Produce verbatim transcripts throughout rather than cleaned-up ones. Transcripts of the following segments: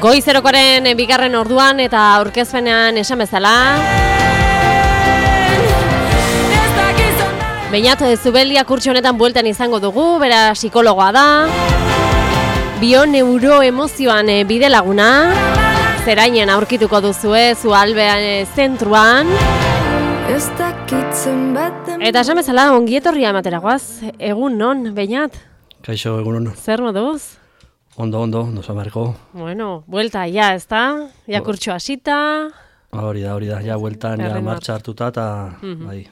Goizerokoaren bigarren orduan eta aurkezpenean esan bezala. Beñat Zubeldia kurtso honetan bueltan izango dugu, bera psikologoa da. Bioneuroemozioan bide laguna. Zerainen aurkituko duzue, Zualbean zentruan. Eta esan bezala, ongietorria ematera guaz. Egun non, Beñat? Kaixo, egun non. Zer moduz? Ondo, ondo, ondo zamarko. Bueno, buelta, ja, ez da? Ja kurtso hasita. Hori da, hori da, ja, bueltan, ja, martxa hartuta, eta, mm-hmm. bai.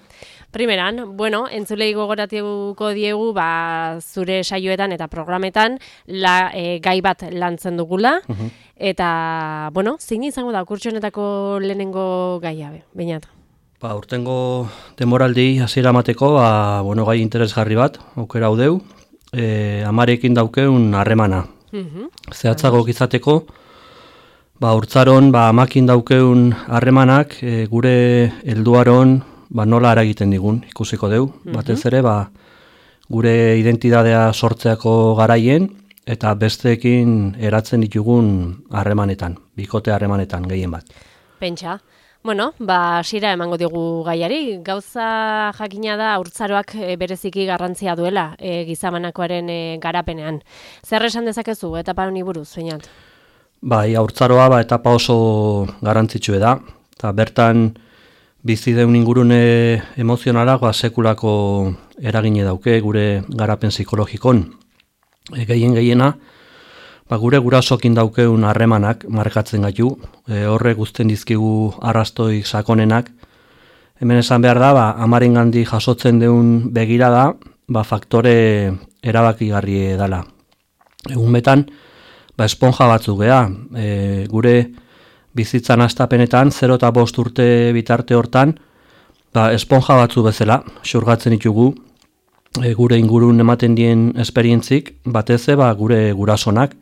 Primeran, bueno, entzulei gogoratuko diegu, ba, zure saioetan eta programetan, la, e, gai bat lantzen dugula, mm-hmm. eta, bueno, zein izango da, kurtso honetako lehenengo gaia, Beñat? Ba, urtengo demoraldi hasiera emateko, ba, bueno, gai interesgarri bat, aukera hau deu, e, amarekin daukeun harremana. Mm-hmm. Zehatzago izateko, ba, urtzaron, ba, amakin daukeun harremanak, e, gure helduaron, ba, nola eragiten digun, ikusiko deu. Mm-hmm. Batez ere, ba, gure identidadea sortzeako garaien, eta besteekin eratzen ditugun harremanetan, bikote harremanetan gehien bat. Pentsa. Bueno, ba, hasiera emango digu gaiari. Gauza jakina da haurtzaroak e, bereziki garrantzia duela e, gizamanakoaren e, garapenean. Zer esan dezakezu etapa honi buruz, Beñat? Bai, haurtzaroa ba, etapa oso garrantzitsue da. Ta bertan bizi deun ingurune emozionalak ba, sekulako eragine dauke gure garapen psikologikon. E, gehien gehiena, ba, gure gurasokin daukeun harremanak markatzen gaitu, e, horrek guztien dizkigu arrastoik sakonenak. Hemen esan behar da, ba, amarengandik jasotzen deun begirada, ba, faktore erabakigarri dela. Egun betan, ba, esponja batzuk gea, e, gure bizitzan hastapenetan, zero eta bost urte bitarte hortan, ba, esponja batzu bezala, xurgatzen ditugu, e, gure ingurun ematen dien esperientzik, batez ba, gure gurasonak.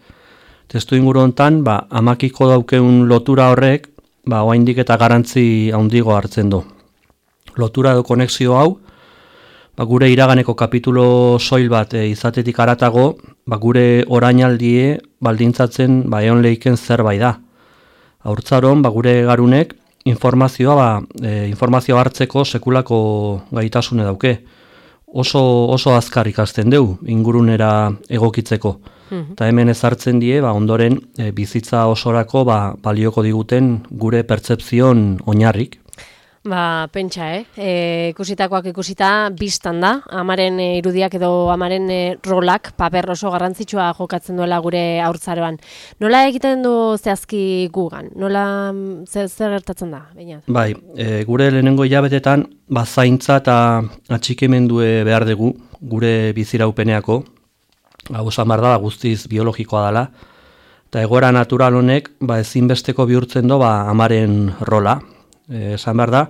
Testu inguru hontan, ba, amakiko daukeun lotura horrek, ba, oraindik eta garrantzi handigo hartzen du. Lotura edo konexio hau, ba, gure iraganeko kapitulo soil bat e, izatetik haratago, ba, gure orainaldie baldintzatzen ba, eon leiken zerbait da. Haurtzaron, ba, gure garunek informazioa, ba, e, informazioa hartzeko sekulako gaitasune dauke. Oso, oso azkar ikasten deu, ingurunera egokitzeko. Eta hemen ezartzen die, ba, ondoren e, bizitza osorako ba, balioko diguten gure pertzepzion oinarrik. Ba, pentsa, eh? E, ikusitakoak ikusita biztan da, amaren e, irudiak edo amaren e, rolak, paper oso garrantzitsua jokatzen duela gure haurtzaroan. Nola egiten du zehazki gugan? Nola zer, zer gertatzen da? Beñat? Bai, e, gure lehenengo hilabetetan, ba, zaintza eta atxikimendue behar dugu gure biziraupeneako. Hau esan behar da, guztiz biologikoa dela, eta egoera natural honek ba, ezinbesteko bihurtzen du ba, amaren rola. E, esan behar da,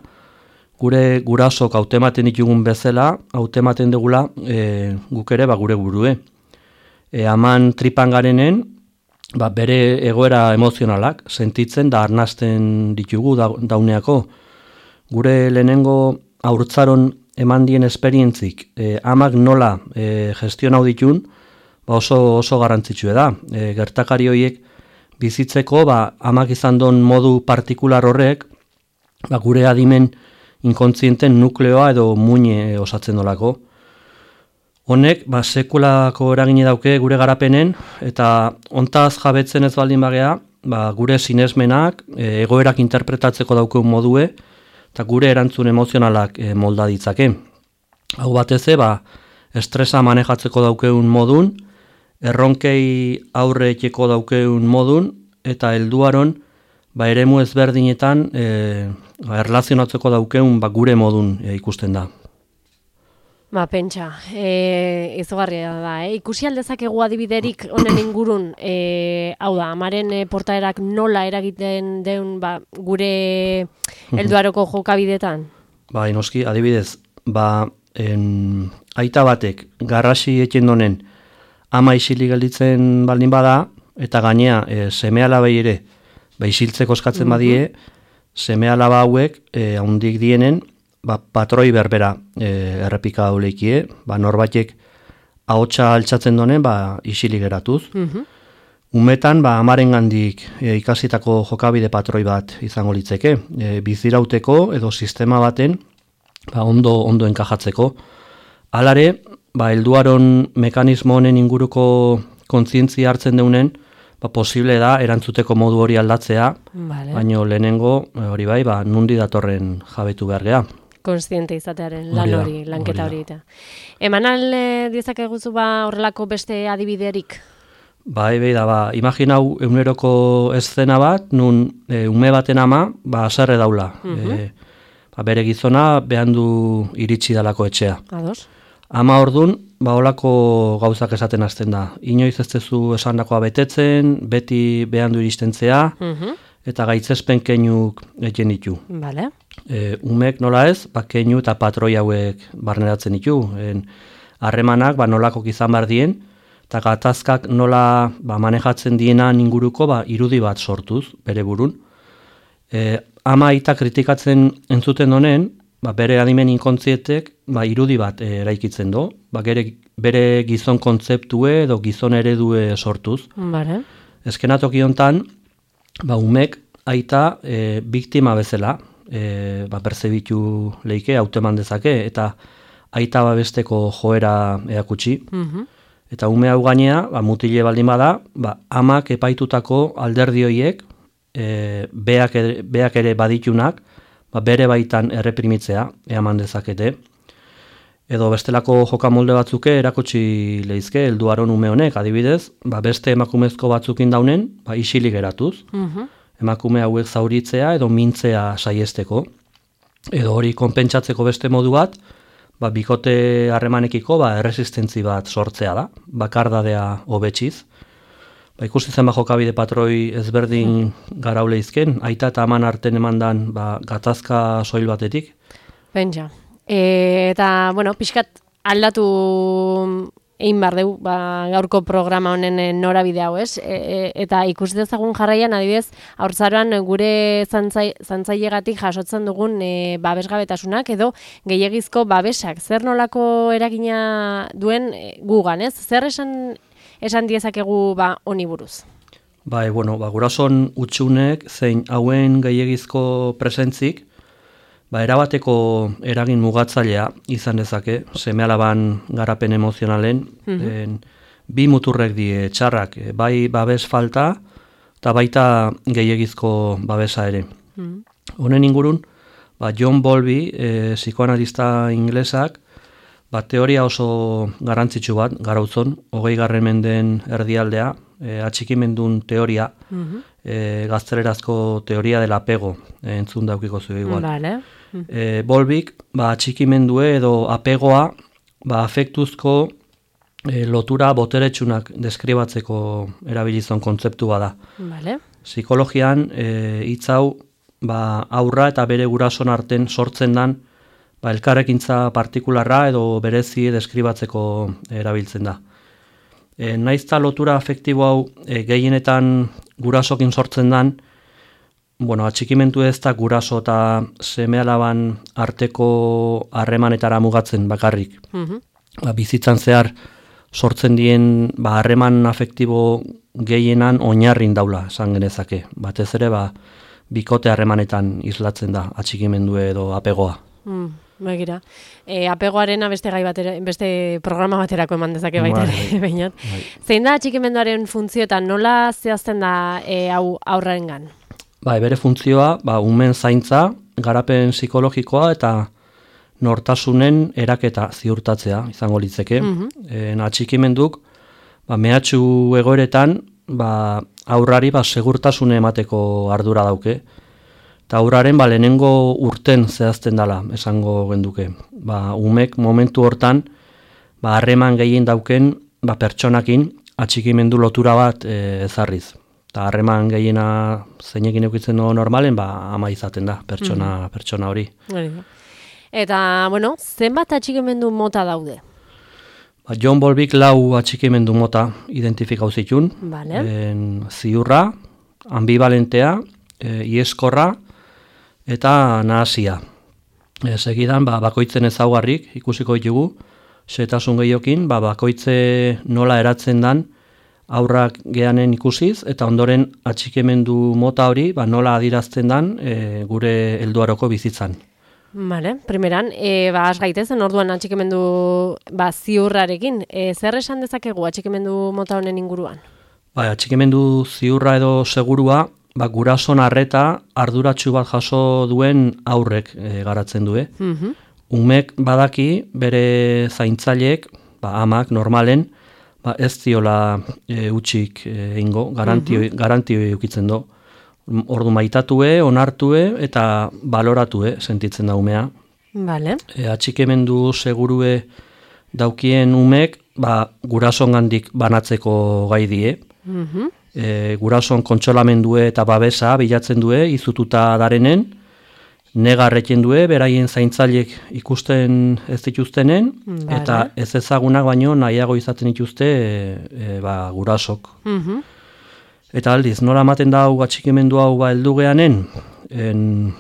gure gurasok hautematen ditugun bezala, hautematen dugula e, guk ere ba, gure burue. E, aman tripan garenen, ba, bere egoera emozionalak sentitzen da arnasten ditugu da, dauneako. Gure lehenengo haurtzaron eman dien esperientzik, e, amak nola e, gestionau ditun, ba oso, oso garrantzitsue da. E, gertakari horiek bizitzeko ba, amak izan don modu partikular horrek ba, gure adimen inkontzienten nukleoa edo muine osatzen dolako. Honek ba, sekulako eragine dauke gure garapenen eta hontaz jabetzen ez baldin bagea ba, gure sinesmenak, e, egoerak interpretatzeko daukeun modue eta gure erantzun emozionalak e, molda ditzake. Hau bateze, ba, estresa manejatzeko daukeun modun, erronkei aurre etxeko daukeun modun, eta helduaron ba, eremu ezberdinetan e, ba, erlazionatzeko daukeun ba, gure modun e, ikusten da. Ba, pentsa, e, izugarria da, eh? Ikusi aldezakegu adibiderik honen ingurun, e, hau da, amaren e, portaerak nola eragiten deun ba, gure helduaroko jokabidetan? Ba, inoski, adibidez, ba, en, aita batek garrasi etxen donen ama isilik gelditzen baldin bada, eta gainea e, seme-alabei ere ba, isiltzeko eskatzen badie, seme-alaba hauek e, haundik dienen, ba, patroi berbera e, errepika dauleikie, ba, norbatek ahotsa altxatzen donen, ba, isilik geratuz. Mm-hmm. Umetan, ba, amarengandik e, ikasitako jokabide patroi bat izango litzeke, e, bizirauteko edo sistema baten ba, ondo ondo enkajatzeko. Halare, ba, helduaron mekanismo honen inguruko kontzientzia hartzen deunen, ba, posible da erantzuteko modu hori aldatzea, vale. Baino lehenengo hori bai, ba, nundi datorren jabetu behar geha. Konstiente izatearen lan hori, lanketa hori eta. Eman alde diezakeguzu ba horrelako beste adibiderik? Bai, bai da, ba, imaginau eguneroko eszena bat, nun e, ume baten ama, ba, aserre daula. Uh-huh. e, ba, bere gizona behan du iritsi dalako etxea. Ados. Ama ordun, ba, holako gauzak esaten hasten da. Inoiz ez tezu esandakoa betetzen, beti behan du iristentzea, uh-huh. eta gaitzespen keinuk egin ditu. Vale. E, umek nola ez, ba, keinu eta patroi hauek barneratzen ditu. En, harremanak ba, nolako izan behar dien, eta gatazkak nola ba, manejatzen dienan inguruko ba, irudi bat sortuz, bere burun. E, ama aita kritikatzen entzuten honen, ba, bere adimen inkontzietek ba, irudi bat e, eraikitzen do, ba, gere, bere gizon kontzeptue edo gizon eredue sortuz. Vale. Eskenatoki hontan, ba, umek aita e, biktima bezala, e, ba, perzebitu leike, hauteman dezake, eta aita babesteko joera eakutsi. Uh-huh. Eta ume hau gainea, ba, mutile baldin bada, ba, amak epaitutako alderdi horiek, e, beak, ere, beak ere baditunak, ba, bere baitan erreprimitzea, eaman dezakete. Edo bestelako jokamolde batzuke erakutsi leizke, helduaron ume honek, adibidez, ba, beste emakumezko batzukin daunen, ba, isilik eratuz. Uh-huh. Emakume hauek zauritzea edo mintzea saiesteko. Edo hori konpentsatzeko beste modu bat, ba, bikote harremanekiko ba, erresistentzi bat sortzea da, bakardadea hobetsiz. Ba, ikusi zen ba, jokabide patroi ezberdin garaule izken, aita eta aman arten emandan ba, gatazka soil batetik. Pentsa. E, eta, bueno, pixkat aldatu egin behar dugu, ba, gaurko programa honen norabide hau, ez? E, e, eta ikusi dezagun jarraian, adibidez, haurtzaroan gure zantzai, zantzailegatik jasotzen dugun e, babesgabetasunak edo gehiegizko babesak. Zer nolako eragina duen e, gugan, ez? Zer esan, esan diezakegu ba, honi buruz? Bai, bueno, ba, gurason utxunek zein hauen gehiegizko presentzik, ba, erabateko eragin mugatzailea izan dezake, seme-alaban garapen emozionalen, mm-hmm. en, bi muturrek die txarrak, bai babes falta, eta baita gehiegizko babesa ere. Mm-hmm. Honen ingurun, ba, John Bowlby, e, psikoanalista inglesak, ba, teoria oso garrantzitsu bat, garautzon, hogei garren menden erdialdea, e, atxikimendun teoria, mm-hmm. e, gaztelerazko teoria del apego, e, entzun daukiko zu igual. Vale. E, Bowlbyk, ba, atxikimendue edo apegoa, ba, afektuzko e, lotura boteretsunak deskribatzeko erabilizon kontzeptua da. Vale. Psikologian, e, hitz hau, ba, aurra eta bere gurason arten sortzen dan, ba, elkarrekintza partikularra edo berezi deskribatzeko erabiltzen da. E, naizta lotura afektibo hau e, gehienetan gurasokin sortzen dan, bueno, atxikimentu ez da guraso eta seme-alaban arteko harremanetara mugatzen bakarrik. Uh-huh. Ba, bizitzan zehar sortzen dien ba, harreman afektibo gehienan oinarrin daula, esan genezake. Batez ere, ba, bikote harremanetan islatzen da atxikimendue edo apegoa. Mm. Begira. E, apegoarena beste gai batera, beste programa baterako eman dezake baita ere, bainat. Bai. Zein da atxikimenduaren funtzio eta nola zehazten da e, hau aurrarengan? Ba, bere funtzioa, ba, umen zaintza, garapen psikologikoa eta nortasunen eraketa ziurtatzea izango litzeke. Mm-hmm. En atxikimenduk, ba, mehatxu egoeretan, ba, aurrari ba, segurtasune emateko ardura dauke. Eta aurraren ba, lehenengo urten zehazten dela, esango genduke. Ba, umek momentu hortan, ba, harreman gehien dauken ba, pertsonakin atxikimendu lotura bat e, ezarriz. Eta harreman gehiena zeinekin eukitzen dugu normalen, ba, ama izaten da, pertsona, mm. pertsona hori. Eta, bueno, zenbat atxikimendu mota daude? Ba, John Bowlbyk lau atxikimendu mota identifikau zitun. Vale. En, ziurra, ambivalentea, e, ieskorra, eta nahasia. E, segidan, ba, bakoitzen ezaugarrik ikusiko ditugu, xetasun gehiokin, ba, bakoitze nola eratzen dan, aurrak geanen ikusiz, eta ondoren atxikimendu mota hori ba, nola adirazten dan e, gure helduaroko bizitzan. Vale, primeran, e, ba, az gaitezen, orduan atxikimendu ba, ziurrarekin. E, zer esan dezakegu atxikimendu mota honen inguruan? Ba, atxikimendu ziurra edo segurua, ba, gurason arreta arduratsu bat jaso duen aurrek e, garatzen du. Eh? Mhm. Umek badaki bere zaintzaileek, ba, amak normalen, ba, ez diola e, utxik egingo, garantio, mm-hmm. garantio eukitzen do. Ordu maitatue, onartue eta baloratue sentitzen da umea. Vale. E, atxikemendu segurue daukien umek, ba, gurasongandik banatzeko gai die. Mhm. E, gurason kontsolamendue eta babesa bilatzen due, izututa darenen, negarreken due, beraien zaintzailek ikusten ez dituztenen, Vale. eta ez ezagunak baino nahiago izaten dituzte e, e, ba, gurasok. Mhm. Eta aldiz, nola ematen da hau atxikimendu hau ba, heldu geanen, en,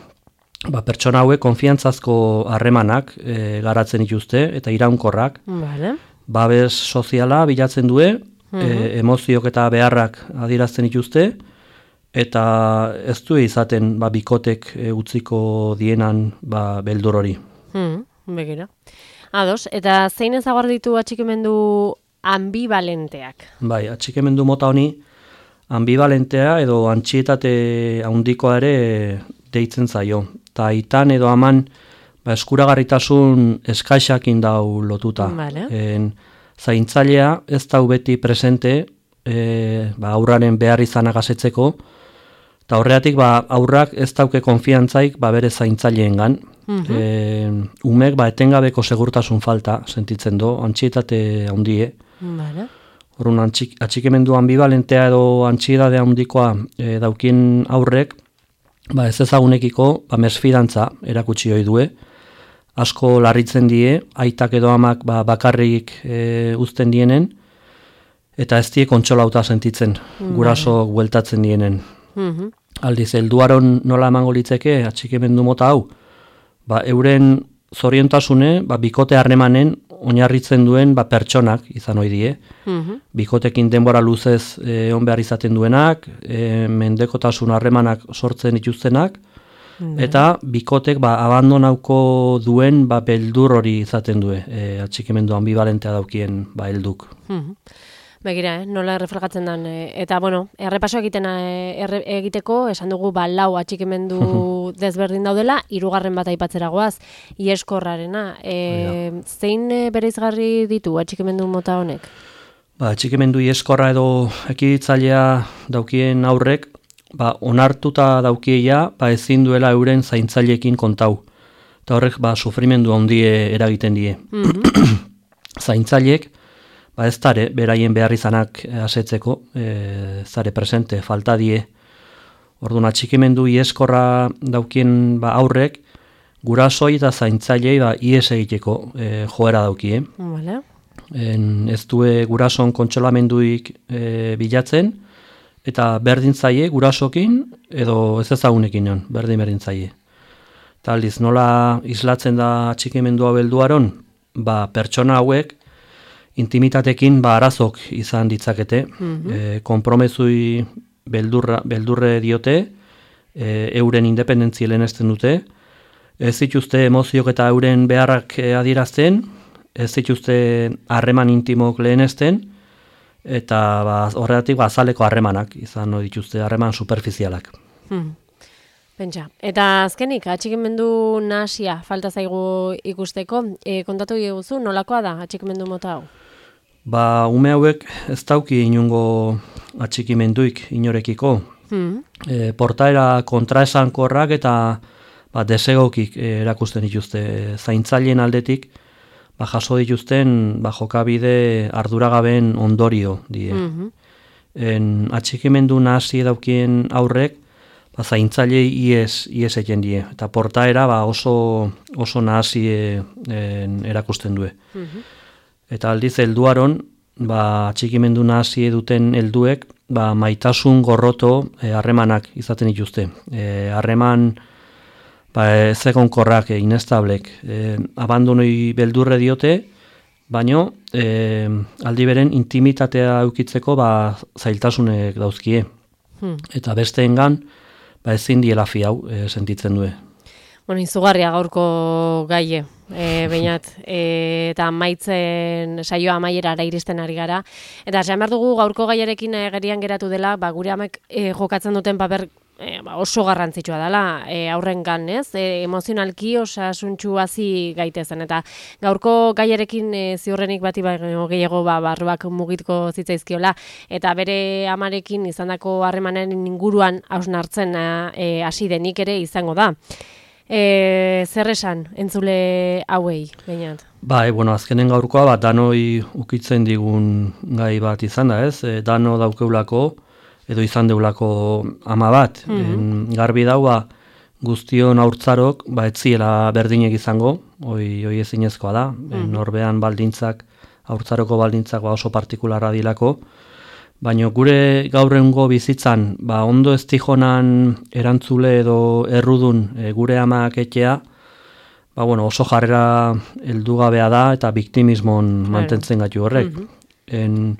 ba, pertsona hauek konfiantzazko harremanak e, garatzen dituzte, eta iraunkorrak, Vale. babes soziala bilatzen due, Mhm. e, emoziok eta beharrak adierazten dituzte, eta ez du izaten ba, bikotek e, utziko dienan ba, beldur hori. Mhm. Begira. Ados, eta zein ezaguar ditu atxikimendu ambivalenteak? Bai, atxikimendu mota honi, ambivalentea edo antxietate handikoa ere deitzen zaio. Ta aitan edo aman ba, eskuragarritasun eskaixakin dau lotuta. Vale. En, zaintzailea ez dau beti presente e, ba, aurraren behar izanak asetzeko, eta horregatik ba, aurrak ez dauke konfiantzaik ba, bere zaintzaileengan. Mhm. E, umek ba, etengabeko segurtasun falta sentitzen do, antxietate handie. Vale. Horun antxik, atxikimendu ambivalentea edo antxiedade handikoa e, daukien aurrek, ba ez ezagunekiko ba, mesfidantza erakutsi ohi due. Asko larritzen die, aitak edo amak ba, bakarrik e, uzten dienen, eta ez die kontsolauta sentitzen, guraso bueltatzen dienen. Mhm. Aldiz, helduaron nola emango litzeke atxikimendu mota hau, ba, euren zoriontasune, ba, bikote harremanen oinarritzen duen ba, pertsonak izan ohi die. Mhm. Bikotekin denbora luzez e, on behar izaten duenak, e, mendekotasun harremanak sortzen dituztenak, eta bikotek ba, abandonauko duen ba, beldur hori izaten due, e, atxikimendu ambivalentea daukien ba, helduk. Mhm. Begira, eh? nola erreflegatzen den. eh, Eta, bueno, errepaso egiten eh, erre, egiteko, esan dugu, ba, lau atxikimendu desberdin daudela, hirugarren bat aipatzera goaz, ieskorrarena. E, zein eh, bereizgarri ditu atxikimendu mota honek? Ba, atxikimendu ieskorra edo ekiditzailea daukien aurrek, ba, onartuta daukieia, ba, ezin duela euren zaintzaileekin kontau. Eta horrek, ba, sufrimendu handie eragiten die. Mhm. Zaintzaileek, ba ez dare, beraien behar izanak asetzeko, e, zare presente, falta die. Orduan, atxikimendu ieskorra daukien ba, aurrek, gurasoi eta zaintzailei ba, ies egiteko e, joera daukie. Vale. En, ez due gurason kontsolamenduik e, bilatzen, eta berdin zaie gurasokin edo ez ezagunekin egon, berdin berdin zaie. Eta aldiz, nola islatzen da atxikimendu hau helduaron, ba, pertsona hauek, intimitatekin ba, arazok izan ditzakete, Mhm. e, konpromezui beldurra, beldurre diote, e, euren independentzi lehenesten dute, ez dituzte emoziok eta euren beharrak e, adierazten, ez dituzte harreman intimok lehenesten, eta ba, horregatik ba, azaleko harremanak izan no dituzte, harreman superfizialak. Hmm. Pentsa. Eta azkenik, atxikimendu nahasia falta zaigu ikusteko, e, kontatu diguzu, nolakoa da atxikimendu mota hau? Ba, ume hauek ez dauki inungo atxikimenduik inorekiko. Hmm. E, portaera kontraesankorrak eta ba, desegokik e, erakusten dituzte zaintzaileen aldetik, ba, jaso dituzten ba, jokabide arduragaben ondorio die. Mhm. En, atxikimendu nahasi daukien aurrek, ba, zaintzailei ies, ies eken die. Eta portaera ba, oso, oso nahasi e, en, erakusten due. Mhm. Eta aldiz helduaron, ba, atxikimendu nahasi duten helduek, ba, maitasun gorroto harremanak izaten dituzte. E, harreman ba, ez egonkorrak, e, inestablek. E, abandonoi beldurre diote, baino e, aldi beren intimitatea eukitzeko ba, zailtasunek dauzkie. Hmm. Eta besteengan ba, ezin diela fi hau e, sentitzen du. Bueno, izugarria gaurko gaie, e, bainat, e, eta maitzen saioa amaierara iristen ari gara. Eta esan behar dugu gaurko gaiarekin e, gerian geratu dela, ba, gure amek e, jokatzen duten paper e, ba, oso garrantzitsua dela, e, aurrengan, ez? E, emozionalki osasuntsu hasi gaitezen. Eta gaurko gaiarekin e, ziurrenik bati baino gehiago ba, barruak mugitko zitzaizkiola, eta bere amarekin izandako harremanen inguruan hausnartzen e, hasi denik ere izango da. E, zer esan, entzule hauei, bainat? Ba, e, bueno, azkenen gaurkoa, ba, danoi ukitzen digun gai bat izan da, ez? E, dano daukeulako, edo izan deulako ama bat. Mm-hmm. En, garbi daua guztion haurtzarok, ba, etziela berdinek izango, hoi, hoi ezinezkoa da. Mm-hmm. Norbean baldintzak, haurtzaroko baldintzak ba, oso partikularra dilako. Baina gure gaur egungo bizitzan, ba, ondo ez tijonan erantzule edo errudun e, gure amak etxea, ba, bueno, oso jarrera heldugabea da eta biktimismon mantentzen gaitu horrek. Mm-hmm. En,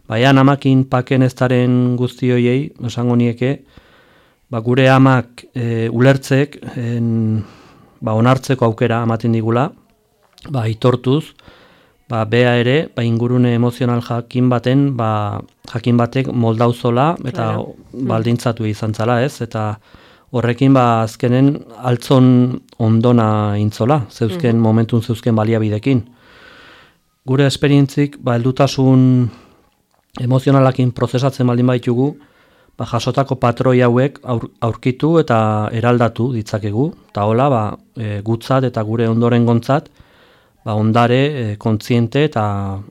baian amakin paken eztaren guztioiei, esango nieke, ba, gure amak e, ulertzek, en, ba, onartzeko aukera ematen digula, ba, aitortuz, ba, bea ere, ba, ingurune emozional jakin baten, ba, jakin batek moldauzola eta claro. Baldintzatu izan zala, ez? Eta horrekin ba, azkenen altzon ondona intzola, zeuzken mm-hmm. momentun zeuzken baliabidekin. Gure esperientzik, ba, heldutasun emozionalakin prozesatzen baldin baitugu, ba, jasotako patroi hauek aur, aurkitu eta eraldatu ditzakegu, eta hola, ba, e, gutzat eta gure ondoren gontzat, ba, ondare e, kontziente eta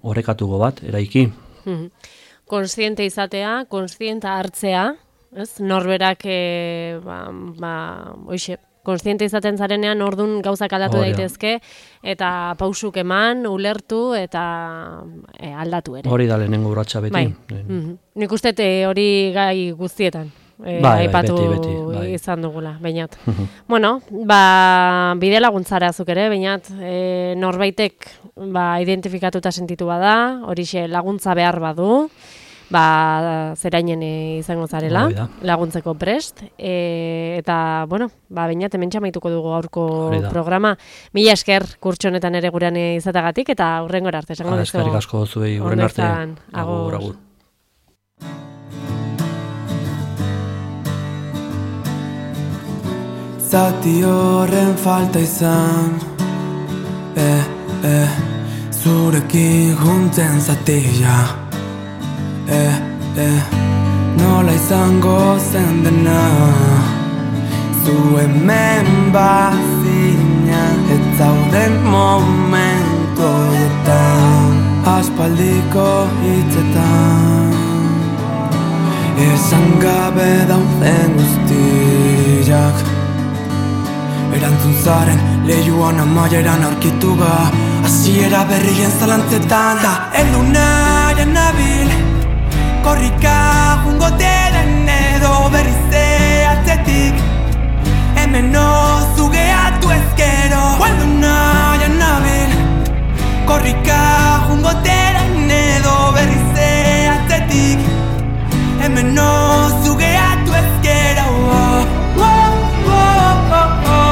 horrekatugo bat, eraiki. Kontziente izatea, kontzienta hartzea, ez? Norberak, e, ba, ba, oixe, kontziente izaten zarenean ordun gauzak aldatu Hora. Daitezke, eta pausuk eman, ulertu eta e, aldatu ere. Hori da lehenengo urratsa beti. Bai. Mm-hmm. Nik uste hori gai guztietan. E, bai, aipatu bai, beti, beti, bai. Izan dugula, bainat. Bueno, ba, bide laguntzara zuk ere, bainat, e, norbaitek ba, identifikatuta sentitu bada, horixe laguntza behar badu, ba, zerainen izango zarela, laguntzeko prest, e, eta, bueno, ba, bainat, hemen txamaituko dugu gaurko programa. Mila esker kurtso honetan ere gurean izatagatik, eta hurrengora arte, esango dizu. Eskerrik asko zuei, hurren arte. Agur, agur. Zati horren falta izan, eh, eh, zurekin juntzen zatia, eh, eh, nola izango zen dena, zu hemen bazina, ez zauden momentu horretan, aspaldiko hitzetan, esan gabe dauden guztiak, erantzun zaren lehiuan amaieran aurkitu ga, hasiera berrien zalantzetan da heldu nahian nabil, korrika jungo deden edo berrize atzetik, hemen ozu gehiatu ezkero. Heldu nahian nabil, korrika jungo deden edo berrize atzetik, hemen ozu gehiatu ezkero. Oh, oh, oh, oh, oh.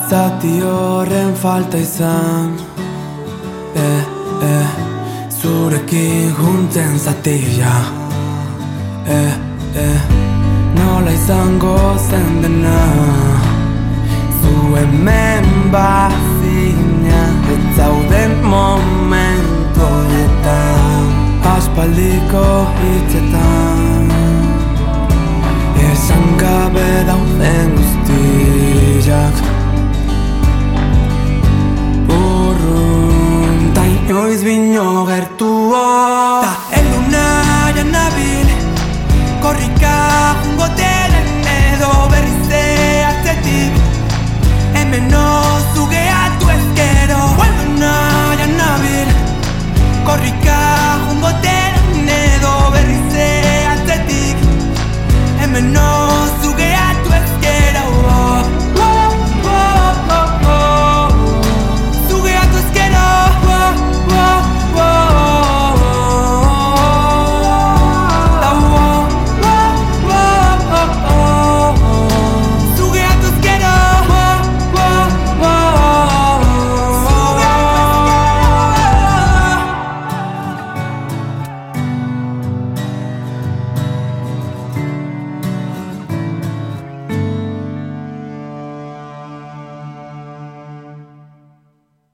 Zati horren falta izan, eh, eh, zurekin juntzen zatia, eh, eh, nola izango zen dena, zu hemen bazina, ez zauden momentu horretan, aspaldiko hitzetan, esan gabe dauden guztiak, urrun, ta inoiz bino gertuo,